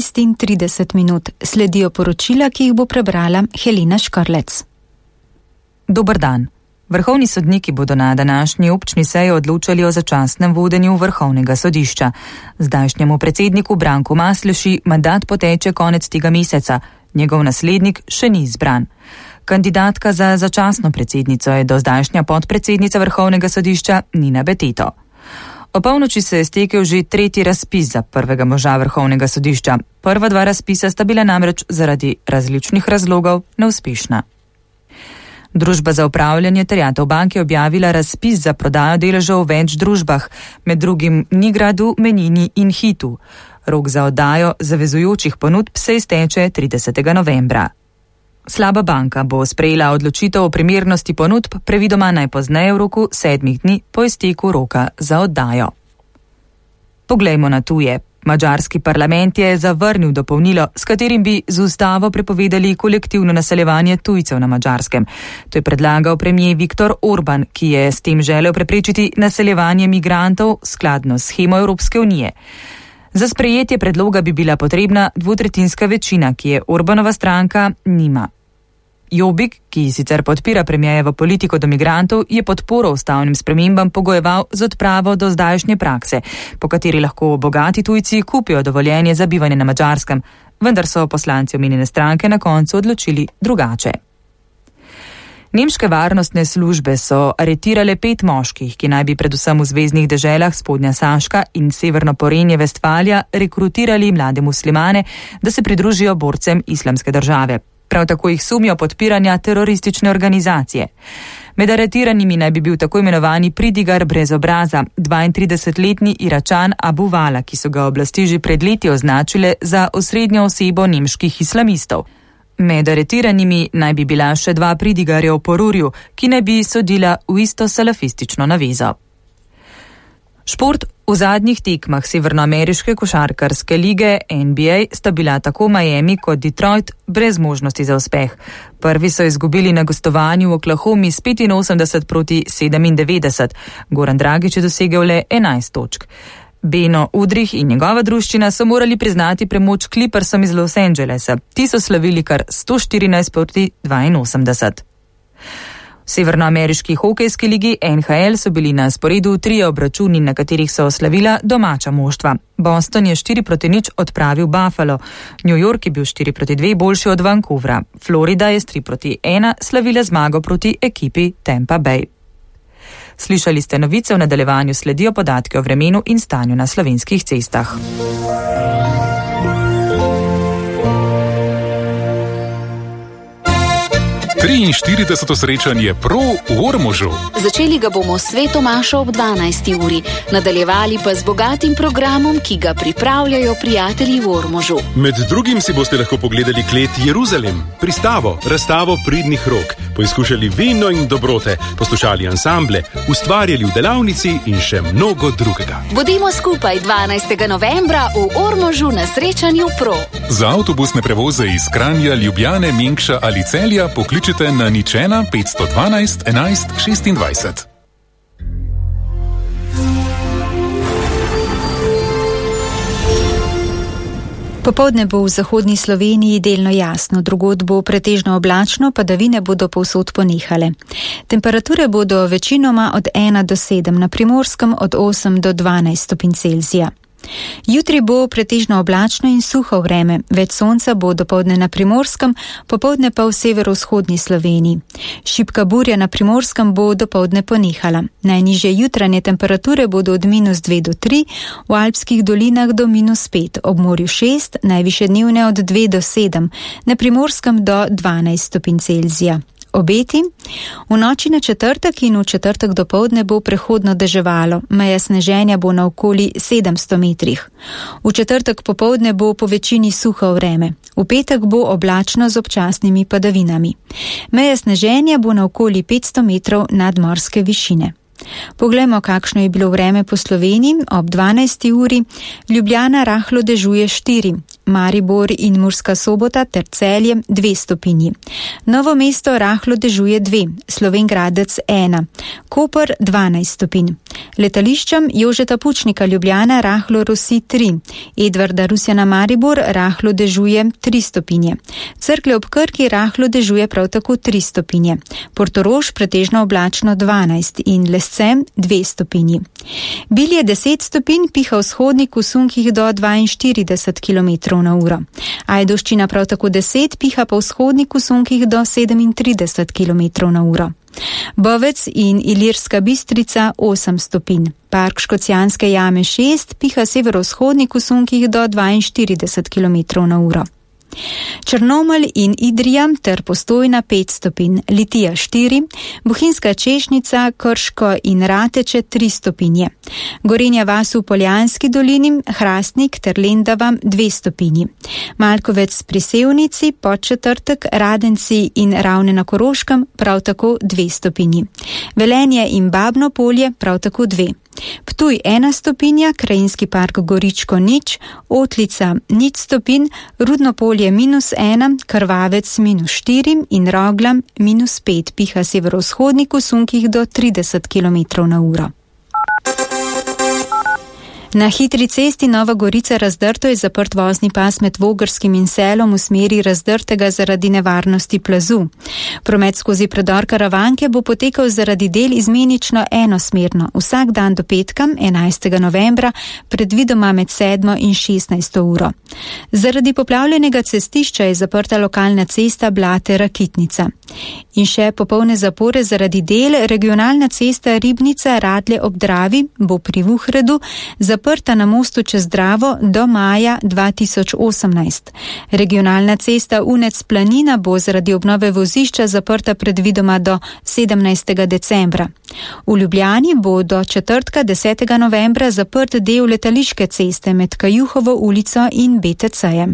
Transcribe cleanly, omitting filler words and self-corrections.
12:30. Sledijo poročila, ki jih bo prebrala Helena Škrlec. Dober dan. Vrhovni sodniki bodo na današnji občni seji odločali o začasnem vodenju Vrhovnega sodišča. Zdajšnjemu predsedniku Branku Masleši mandat poteče konec tega meseca. Njegov naslednik še ni izbran. Kandidatka za začasno predsednico je do zdajšnja podpredsednica Vrhovnega sodišča Nina Beteto. O polnoči se je stekel že tretji razpis za prvega moža Vrhovnega sodišča. Prva dva razpisa sta bila namreč zaradi različnih razlogov neuspešna. Družba za upravljanje terjatev banke je objavila razpis za prodajo deležev v več družbah, med drugim Nigradu, Menini in Hitu. Rok za oddajo zavezujočih ponudb se izteče 30. novembra. Slaba banka bo sprejela odločitev o primernosti ponudb previdoma najpozneje v roku 7 dni po izteku roka za oddajo. Poglejmo na tuje. Madžarski parlament je zavrnil dopolnilo, s katerim bi z ustavo prepovedali kolektivno naseljevanje tujcev na Madžarskem. To je predlagal premier Viktor Orban, ki je s tem želel preprečiti naseljevanje migrantov skladno s shemo Evropske unije. Za sprejetje predloga bi bila potrebna dvotretjinska večina, ki je Orbanova stranka nima. Jobbik, ki sicer podpira premierjevo politiko do migrantov, je podporo ustavnim spremembam pogojeval z odpravo do zdajšnje prakse, po kateri lahko bogati tujci kupijo dovoljenje za bivanje na Madžarskem, vendar so poslanci omenjene stranke na koncu odločili drugače. Nemške varnostne službe so aretirale 5 moških, ki naj bi predvsem v zveznih deželah Spodnja Saška in Severno Porenje Vestfalija rekrutirali mlade muslimane, da se pridružijo borcem Islamske države. Prav tako jih sumijo podpiranja teroristične organizacije. Med aretiranimi naj bi bil tako imenovani pridigar brez obraza, 32-letni Iračan Abu Vala, ki so ga oblasti že pred leti označile za osrednjo osebo nemških islamistov. Med aretiranimi naj bi bila še 2 pridigarja v Porurju, ki naj bi sodila v isto salafistično navezo. Šport. V zadnjih tekmah severnoameriške košarkarske lige NBA sta bila tako Miami kot Detroit brez možnosti za uspeh. Prvi so izgubili na gostovanju v Oklahomi s 85-97. Goran Dragić je dosegel le 11 točk. Beno Udrih in njegova druščina so morali priznati premoč Clippersom iz Los Angelesa. Ti so slavili kar 114-82. V severnoameriški hokejski ligi NHL so bili na sporedu 3 obračuni, na katerih so oslavila domača moštva. Boston je 4-0 odpravil Buffalo. New York je bil 4-2 boljši od Vancouvra. Florida je s 3-1 slavila zmago proti ekipi Tampa Bay. Slišali ste novice, v nadaljevanju sledijo podatke o vremenu in stanju na slovenskih cestah. Triinštirideseto srečanje Pro v Ormožu. Začeli ga bomo s sveto mašo ob 12. uri, nadaljevali pa z bogatim programom, ki ga pripravljajo prijatelji v Ormožu. Med drugim si boste lahko pogledali klet Jeruzalem, pristavo, razstavo pridnih rok, poizkušali vino in dobrote, poslušali ansamble, ustvarjali v delavnici in še mnogo drugega. Bodimo skupaj 12. novembra v Ormožu na srečanju Pro. Za avtobusne prevoze iz Kranja, Ljubljane, Mengša ali Celja pokličite na 01 512 11 26. Popoldne bo v zahodni Sloveniji delno jasno, drugod bo pretežno oblačno, padavine bodo povsod ponehale. Temperature bodo večinoma od 1 do 7, na Primorskem od 8 do 12 stopinj Celzija. Jutri bo pretežno oblačno in suho vreme, več sonca bo dopoldne na Primorskem, popoldne pa v severovzhodni Sloveniji. Šibka burja na Primorskem bo dopoldne ponehala. Najnižje jutranje temperature bodo od -2 do 3, v alpskih dolinah do -5, ob morju 6, najvišje dnevne od 2 do 7, na Primorskem do 12 stopinj Celzija. Obeti. V noči na četrtek in v četrtek dopoldne bo prehodno deževalo, meja sneženja bo na okoli 700 metrih. V četrtek popoldne bo po večini suho vreme, v petek bo oblačno z občasnimi padavinami. Meja sneženja bo na okoli 500 metrov nadmorske višine. Poglejmo, kakšno je bilo vreme po Sloveniji ob 12. uri. Ljubljana rahlo dežuje 4, Maribor in Murska Sobota ter Celje 2 stopinji. Novo mesto rahlo dežuje 2, Slovenj Gradec 1, Koper 12 stopinj. Letališčem Jožeta Pučnika Ljubljana rahlo rosi 3, Edvarda Rusjana Maribor rahlo dežuje 3 stopinje, Cerklje ob Krki rahlo dežuje prav tako 3 stopinje, Portorož pretežno oblačno 12 in Lescem 2 stopinji. Bilje 10 stopinj, piha vzhodnik v sunkih do 42 km/h. Ajdovščina prav tako 10, piha pa vzhodnik v sunkih do 37 km/h. Bovec in Ilirska Bistrica 8 stopinj. Park Škocjanske jame 6, piha severovzhodnik v sunkih do 42 km/h. Črnomelj in Idrija ter Postojna 5 stopinj, Litija 4, Bohinjska Češnica, Krško in Rateče 3 stopinje, Gorenja vas v Poljanski dolini, Hrastnik ter Lendava 2 stopinji, Malkovec pri Sevnici, Podčetrtek, Radenci in Ravne na Koroškem prav tako 2 stopinji, Velenje in Babno Polje prav tako 2. Ptuj 1 stopinja, Krajinski park Goričko 0, Otlica 0 stopinj, Rudno polje -1, Krvavec -4 in Roglam -5, piha severovzhodnik v sunkih do 30 km/h. Na hitri cesti Nova Gorica Razdrto je zaprt vozni pas med Vogrskim in Selom v smeri Razdrtega zaradi nevarnosti plazu. Promet skozi predor Karavanke bo potekal zaradi del izmenično enosmerno, vsak dan do petka, 11. novembra, predvidoma med 7. in 16. uro. Zaradi poplavljenega cestišča je zaprta lokalna cesta Blate-Rakitnica. In še popolne zapore zaradi del, regionalna cesta Ribnica Radlje ob Dravi bo pri Vuhredu zaprta na mostu čez Dravo do maja 2018. Regionalna cesta Unec Planina bo zaradi obnove vozišča zaprta predvidoma do 17. decembra. V Ljubljani bo do četrtka 10. novembra zaprt del letališke ceste med Kajuhovo ulico in BTC-jem.